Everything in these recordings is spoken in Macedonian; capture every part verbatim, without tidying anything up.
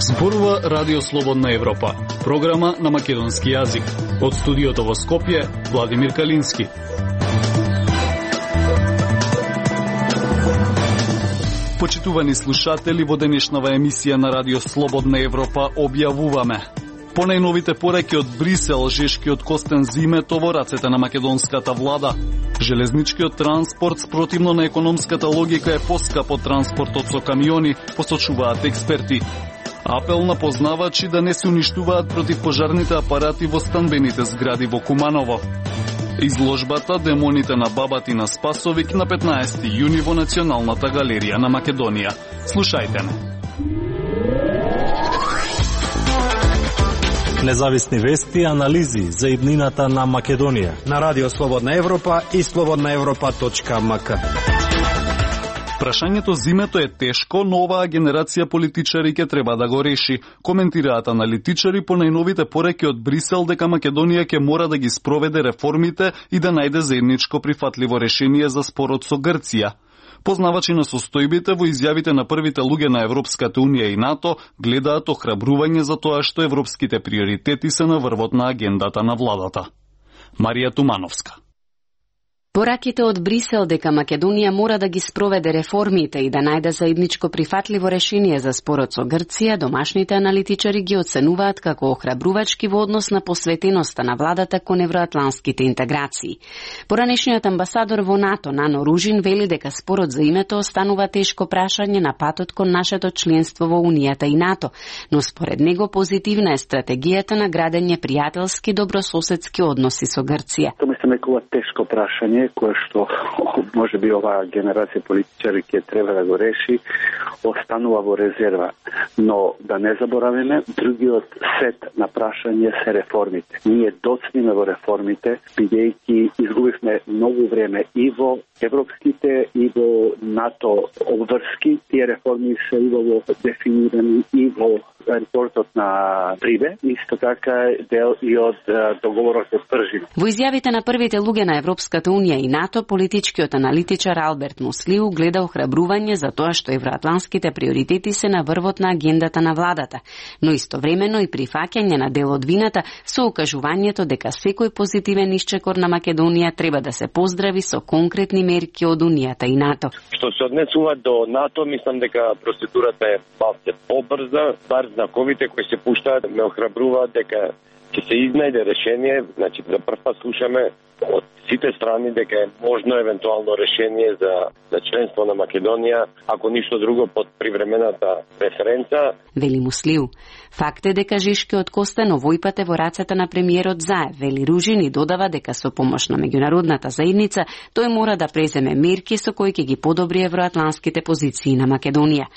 Зборува Радио Слободна Европа, програма на македонски јазик. Од студиото во Скопје, Владимир Калински. Почитувани слушатели, во денешнава емисија на Радио Слободна Европа објавуваме: по најновите пореки од Брисел, жешкиот костен за името во рацете на македонската влада. Железничкиот транспорт спротивно на економската логика е поскап од транспортот со камиони, посочуваат експерти. Апел на познавачи да не се уништуваат противпожарните апарати во станбените згради во Куманово. Изложбата "Демоните на Бабатина Спасовик" на петнаесети јуни во Националната галерија на Македонија. Слушајте ме. Независни вести и анализи за иднината на Македонија на Радио Слободна Европа и слободна европа точка ем ка. Прашањето за името е тешко, но оваа генерација политичари ќе треба да го реши. Коментираат аналитичари по најновите пореки од Брисел дека Македонија ќе мора да ги спроведе реформите и да најде заедничко прифатливо решение за спорот со Грција. Познавачи на состојбите во изјавите на првите луѓе на Европската унија и НАТО гледаат охрабрување за тоа што европските приоритети се на врвот на агендата на владата. Марија Тумановска. Пораките од Брисел дека Македонија мора да ги спроведе реформите и да најде заедничко прифатливо решение за спорот со Грција, домашните аналитичари ги оценуваат како охрабрувачки во однос на посветеноста на владата кон евроатланските интеграции. Поранешниот амбасадор во НАТО Нано Ружин вели дека спорот за името останува тешко прашање на патот кон нашето членство во Унијата и НАТО, но според него позитивна е стратегијата на градење пријателски добрососедски односи со Грција. Тоа мислам дека ова тешко прашање кое што може би оваа генерација политичари ќе треба да го реши, останува во резерва. Но да не забораваме, другиот сет на прашање се реформите. Ние доцниме во реформите, бидејќи изгубивме многу време и во европските и во НАТО обврски. Тие реформи се убаво дефинирани и во репортот на Прибе, исто така дел и од договорот од Пржина. Во изјавите на првите луѓе на Европската унија и НАТО, политичкиот аналитичар Алберт Муслиу гледа охрабрување за тоа што евроатланските приоритети се на врвот на агендата на владата, но истовремено и прифаќање на дел од вината со укажувањето дека секој позитивен исчекор на Македонија треба да се поздрави со конкретни мерки од Унијата и НАТО. Што се однесува до НАТО, мислам дека процедурата е малку побрза, бар знаковите кои се пуштаат ме охрабруваат дека ќе се изнајде решение. Значи, за прв пат слушаме од сите страни дека е можно евентуално решение за, за членство на Македонија, ако ништо друго под привремената референца. Вели Муслиу. Факт е дека Жишкиот Костан овојпат е во рацете на премиерот Заев, вели Ружин и додава дека со помош на меѓународната заедница тој мора да преземе мерки со кои ќе ги подобри евроатланските позиции на Македонија.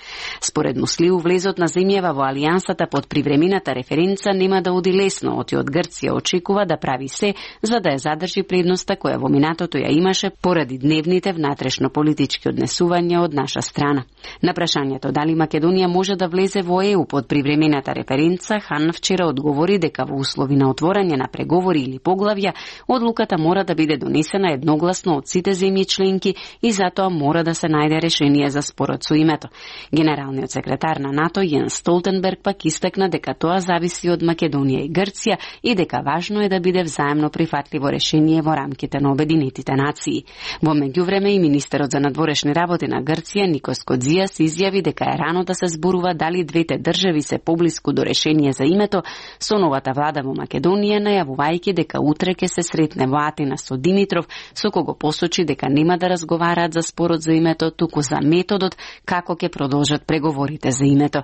Според Муслиу, влезот на земјава во алијансата под привремената референца нема да оди лесно, оти од Грција очекува да прави се за да ја задржи предноста која во минатото ја имаше поради дневните внатрешно политички однесувања од наша страна. На прашањето дали Македонија може да влезе во Е У под привремената референца, Хан вчера одговори дека во услови на отворање на преговори или поглавја, одлуката мора да биде донесена едногласно од сите земји членки и затоа мора да се најде решение за спорот со името. Генералниот секретар на НАТО Јенс Столтенберг пак истакна дека тоа зависи од Македонија и Грција и дека важно е да биде взаемно прифатливо решение во рамките на Обединетите нации. Во меѓувреме и министерот за надворешни работи на Грција Никос Кодзијас изјави дека е рано да се зборува дали двете држави се поблиску до решение за името, со новата влада во Македонија најавувајќи дека утре ќе се сретне во Атина со Димитров, со кого посочи дека нема да разговараат за спорот за името, туку за методот како ќе продолжат преговорите за името.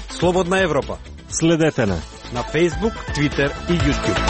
Слободна Европа. Следете на на Facebook, Twitter и YouTube.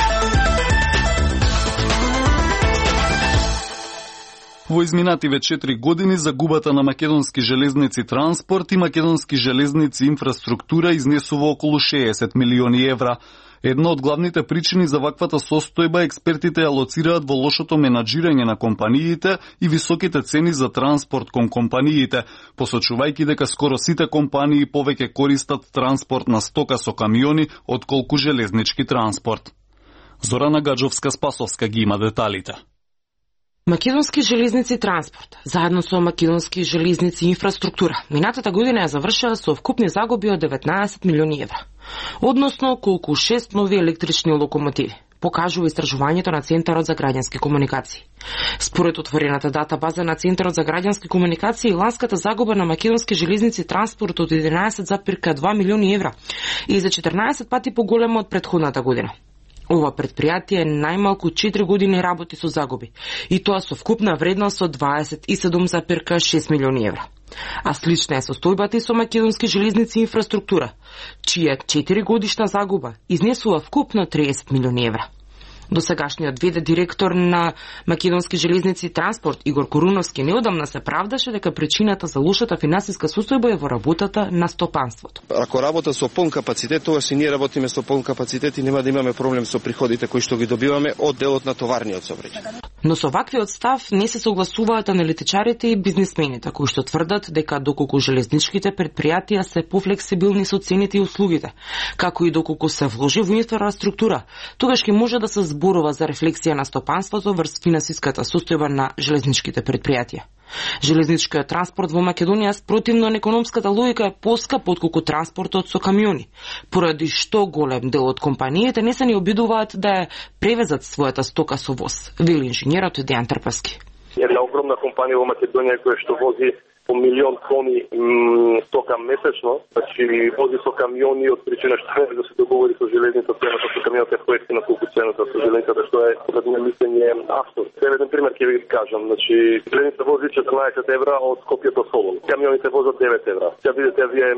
Во изминативе четири години загубата на македонски железници транспорт и македонски железници инфраструктура изнесува околу шеесет милиони евра. Една од главните причини за ваквата состојба експертите ја лоцираат во лошото менаџирање на компаниите и високите цени за транспорт кон компаниите, посочувајќи дека скоро сите компании повеќе користат транспорт на стока со камиони отколку железнички транспорт. Зорана Гаджовска-Спасовска ги има деталите. Македонски железници транспорт, заедно со Македонски железници инфраструктура, минатата година ја завршила со вкупни загуби од деветнаесет милиони евра. Односно, колку шест нови електрични локомотиви, покажува истражувањето на Центарот за граѓански комуникации. Според отворената дата база на Центарот за граѓански комуникации, ланската загуба на Македонски железници транспорт од единаесет зарез два милиони евра и за четрнаесет пати поголемо од претходната година. Ова предпријатие најмалку четири години работи со загуби, и тоа со вкупна вредност од дваесет и седум зарез шест милиони евра. А слична е состојбата и со Македонски железници инфраструктура, чија четири годишна загуба изнесува вкупно триесет милиони евра. Досегашниот ве де директор на Македонски железници транспорт Игор Коруновски неодамна се правдаше дека причината за лошата финансиска состојба е во работата на стопанството. Ако работа со полн капацитет, тогаш и ние работиме со полн капацитет и нема да имаме проблем со приходите кои што ги добиваме од делот на товарниот сообраќај. Но со ваквиот став не се согласуваат аналитичарите и бизнисмените, кои што тврдат дека доколку железничките предпријатија се пофлексибилни со цените и услугите, како и доколку се вложи во инфраструктура, тогаш ќе може да се зборува за рефлексија на стопанството врз финансиската состојба на железничките предпријатија. Железничкиот транспорт во Македонија спротивно на економската логика е поскап отколку транспортот со камиони, поради што голем дел од компаниите не се ни обидуваат да ја превезат својата стока со воз, вели инженерот Дејан Трпевски. Една огромна компанија во Македонија која што вози по милион тони стока месечно, значи вози со камиони од причина што не да се договори со железница цената со камионот е поевтина колку цената со железницата, што е според моје мислење абсурд. Еден пример ќе ви кажам, значи железница вози четрнаесет евра од Скопје до Солун. Камионите возат девет евра. Ќе видите вие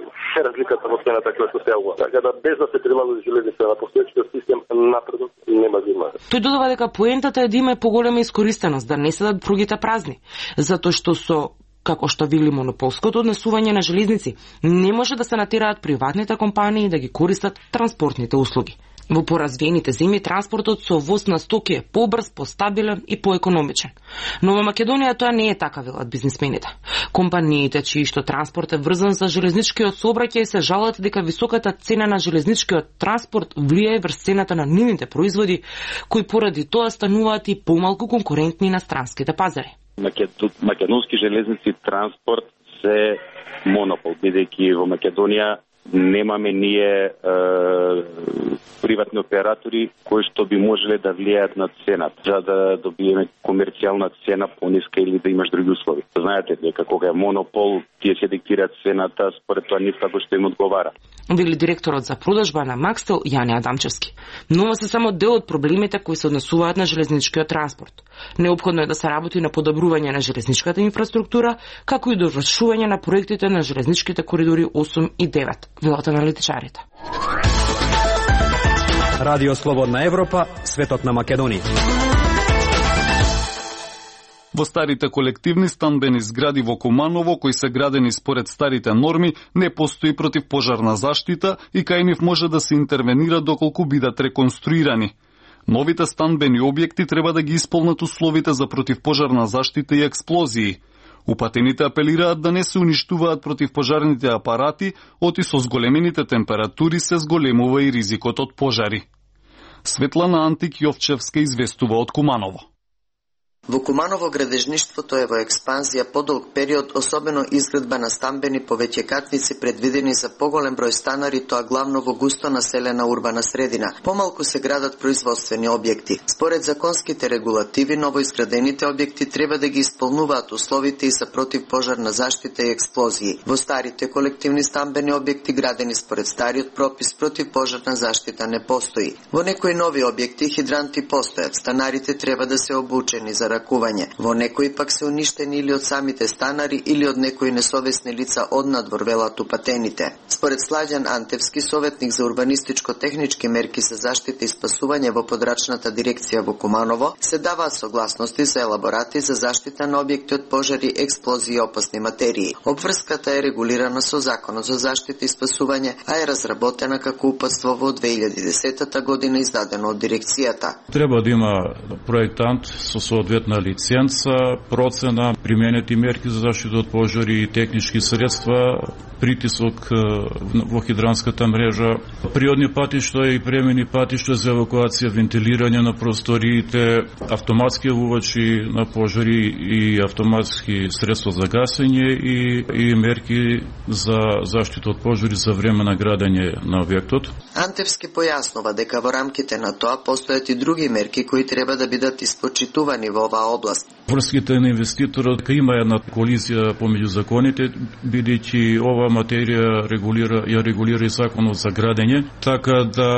разликата во цената која што се јавува. Така да без да се прилаги железница на постоечкиот систем напредот нема да има. Тој додава дека поентата е да има поголема искористеност, да не седат пругите празни, затоа што со како што вели монополското однесување на железници, не може да се натераат приватните компании да ги користат транспортните услуги. Во поразвиените земји транспортот со воз на стоки е побрз, постабилен и поекономичен. Но во Македонија тоа не е така, велат бизнисмените. Компаниите чии што транспорт е врзан за железничкиот сообраќај се жалат дека високата цена на железничкиот транспорт влијае врз цената на нивните производи, кои поради тоа стануваат и помалку конкурентни на странските пазари. Македонски железници транспорт се монопол, бидејќи во Македонија немаме ние е, приватни оператори кои што би можеле да влијаат на цената, за да добиеме комерцијална цена пониска или да имаш други услови. Знаете дека кога е монопол, тие се диктираат цената според тоа нив како што им одговара. Вели директорот за продажба на Макстел Јане Адамчевски. Но ова се само дел од проблемите кои се однесуваат на железничкиот транспорт. Неопходно е да се работи на подобрување на железничката инфраструктура, како и довршување на проектите на железничките коридори осум и девет, велат аналитичарите. Радио Слободна Европа, светот на Македонија. Во старите колективни станбени згради во Куманово, кои се градени според старите норми, не постои противпожарна заштита и кај нив може да се интервенира доколку бидат реконструирани. Новите станбени објекти треба да ги исполнат условите за противпожарна заштита и експлозии. Упатените апелираат да не се уништуваат противпожарните апарати, оти со зголемените температури се зголемува и ризикот од пожари. Светлана Антик Јовчевска известува од Куманово. Во Куманово градежништвото е во експанзија подолг период, особено изградба на станбени повеќекатници предвидени за поголем број станари, тоа главно во густо населена урбана средина. Помалку се градат производствени објекти. Според законските регулативи, новоизградените објекти треба да ги исполнуваат условите и за противпожарна заштита и експлозии. Во старите колективни станбени објекти градени според стариот пропис, противпожарна заштита не постои. Во некои нови објекти хидранти постојат, станарите треба да се обучени за ракување. Во некои пак се уништени или од самите станари или од некои несовесни лица однадвор, велат упатените. Според Слаѓан Антевски, советник за урбанистичко-технички мерки за заштита и спасување во подрачната дирекција во Куманово, се даваат согласности за елаборати за заштита на објекти од пожари, експлозии и опасни материи. Обврската е регулирана со Законот за заштита и спасување, а е разработена како упатство во две илјади и десета година, издадено од дирекцијата. Треба да има проектант со соодветно соодветна лиценца, процена, применети мерки за заштита од пожари и технички средства, притисок во хидранската мрежа, природни патишта и премени патишта за евакуација, вентилирање на просториите, автоматски овувачи на пожари и автоматски средства за гасење и, и мерки за заштита од пожари за време на градење на објектот. Антевски појаснува дека во рамките на тоа постојат и други мерки кои треба да бидат испочитувани во оваа област. Врските на инвеститорот има една колизија помеѓу законите, бидејќи ова материја регулира, ја регулира и законот за градење, така да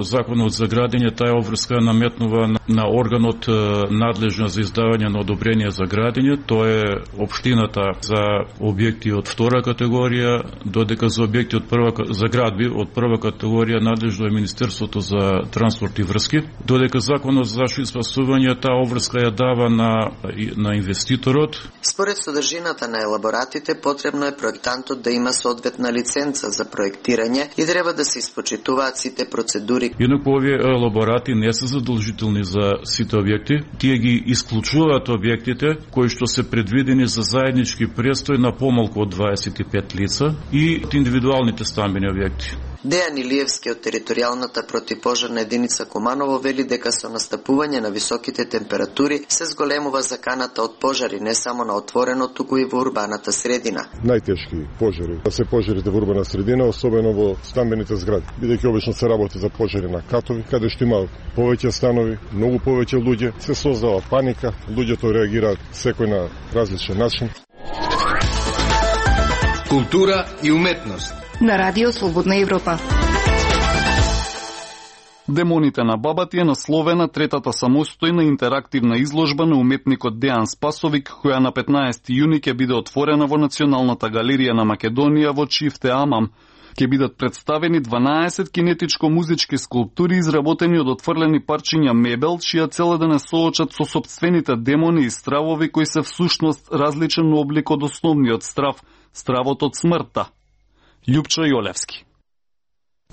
законот за градење таа обврска наметнува на, на органот надлежен за издавање на одобрение за градење, тоа е општината за објекти од втора категорија, додека за објекти од прва за градби од прва категорија надлежно е Министерството за транспорт и врски, додека законот за заштита и спасување таа обврска ја дава на на инвеститорот. Според содржината на елаборатите, потребно е проектантот да има соодветна лиценца за проектирање и треба да се испочитуваат сите процедури. Инаку овие елаборати не се задолжителни за сите објекти, тие ги исклучуваат објектите кои што се предвидени за заеднички престој на помалку од дваесет и пет лица и индивидуалните стамбени објекти. Дејан Илиевски од територијалната противпожарна единица Куманово вели дека со настапување на високите температури се зголемува заканата од пожари не само на отворено, туку и во урбаната средина. Најтешки пожари се пожарите во урбана средина, особено во стамбените згради, бидејќи обично се работи за пожари на катови, каде што има повеќе станови, многу повеќе луѓе, се создава паника, луѓето реагираат секој на различен начин. Култура и уметност на Радио Слободна Европа. Демоните на бабати е насловена третата самостојна интерактивна изложба на уметникот Дејан Спасовик, која на петнаесети јуни ќе биде отворена во Националната галерија на Македонија во Чифте Амам. Ќе бидат представени дванаесет кинетичко-музички скулптури изработени од отфрлени парчиња мебел, чија цел е да не соочат со сопствените демони и стравови кои се всушност различен облик од основниот страв, стравот од смртта. Љупчо Јолевски.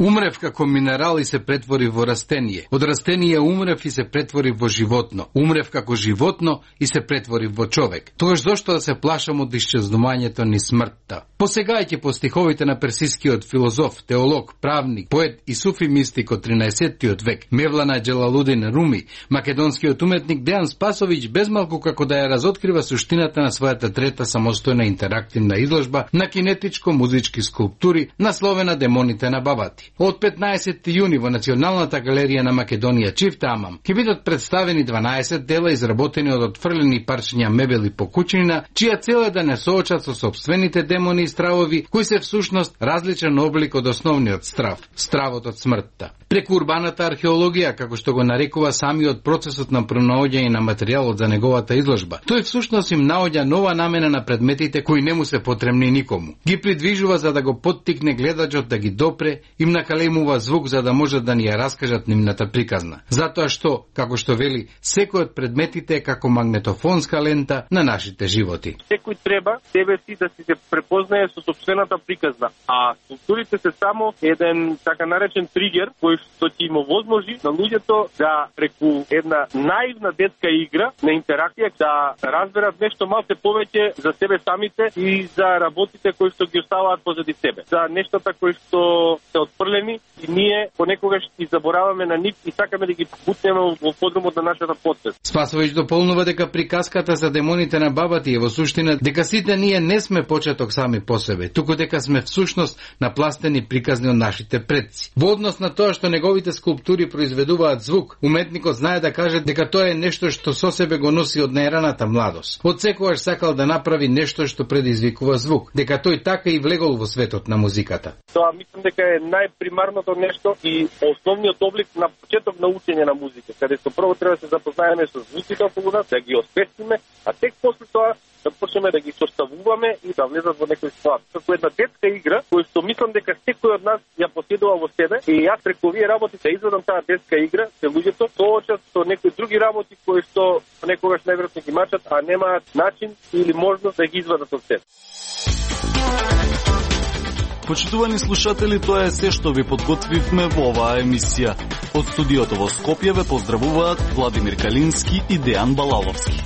Умрев како минерал и се претвори во растение. Од растение умрев и се претвори во животно. Умрев како животно и се претвори во човек. Тогаш зошто да се плашам од исчезнувањето ни смртта? Посегајќи по стиховите на персискиот филозоф, теолог, правник, поет и суфи мистик од тринаесеттиот век, Мевлана Джелалудин Руми, македонскиот уметник Дејан Спасович безмалку како да ја разоткрива суштината на својата трета самостојна интерактивна изложба на кинетичко-музички скулптури насловена Демоните на бабати. Од петнаесети јуни во Националната галерија на Македонија Чифте Амам ќе бидат представени дванаесет дела изработени од отфрлени парчиња мебели по куќнина, чија цел е да не соочат со сопствените демони и стравови, кои се всушност различен облик од основниот страв, стравот од смртта. Преку урбаната археологија, како што го нарекува самиот процесот на пронаоѓање на материјалот за неговата изложба, тој всушност им наоѓа нова намена на предметите кои не му се потребни никому. Ги придвижува за да го поттикне гледачот да ги допре, им накалемува звук за да можат да ни ја раскажат нивната приказна. Затоа што, како што вели, секој од предметите е како магнетофонска лента на нашите животи. Секој треба себе си да си се препознае со сопствената приказна, а скулптурите се само еден така наречен тригер кој што ќе им овозможи на луѓето да преку една наивна детска игра на интеракција да разберат нешто малку повеќе за себе самите и за работите кои што ги оставаат позади себе, за нештата кои што се отфрлени и ние понекогаш и забораваме на нив и сакаме да ги бутнеме во подрумот на нашата подсвест. Спасович дополнува дека приказката за демоните на бабати е во суштина дека сите ние не сме почеток сами по себе, туку дека сме всушност напластени приказни од нашите предци. Во однос на тоа што неговите скулптури произведуваат звук, уметникот знае да каже дека тоа е нешто што со себе го носи од најраната младост. Од секогаш сакал да направи нешто што предизвикува звук, дека тој така и влегол во светот на музиката. Тоа мислам дека е најпримарното нешто и основниот облик на почеток на учење на музика, каде што прво треба да се запознаеме со звуците околу нас, да ги освестиме, а тек после тоа да почнеме да ги составуваме и да влезат во некој склад. Како една детска игра, која што мислам дека секој од нас ја поседува во себе и јас преку овие работи да изведам таа детска игра, се луѓето соочат со некои други работи кои што некогаш најверојатно ги мачат, а немаат начин или можност да ги извадат од себе. Почитувани слушатели, тоа е се што ви подготвивме во оваа емисија. Од студиото во Скопје ве поздравуваат Владимир Калински и Дејан Балаловски.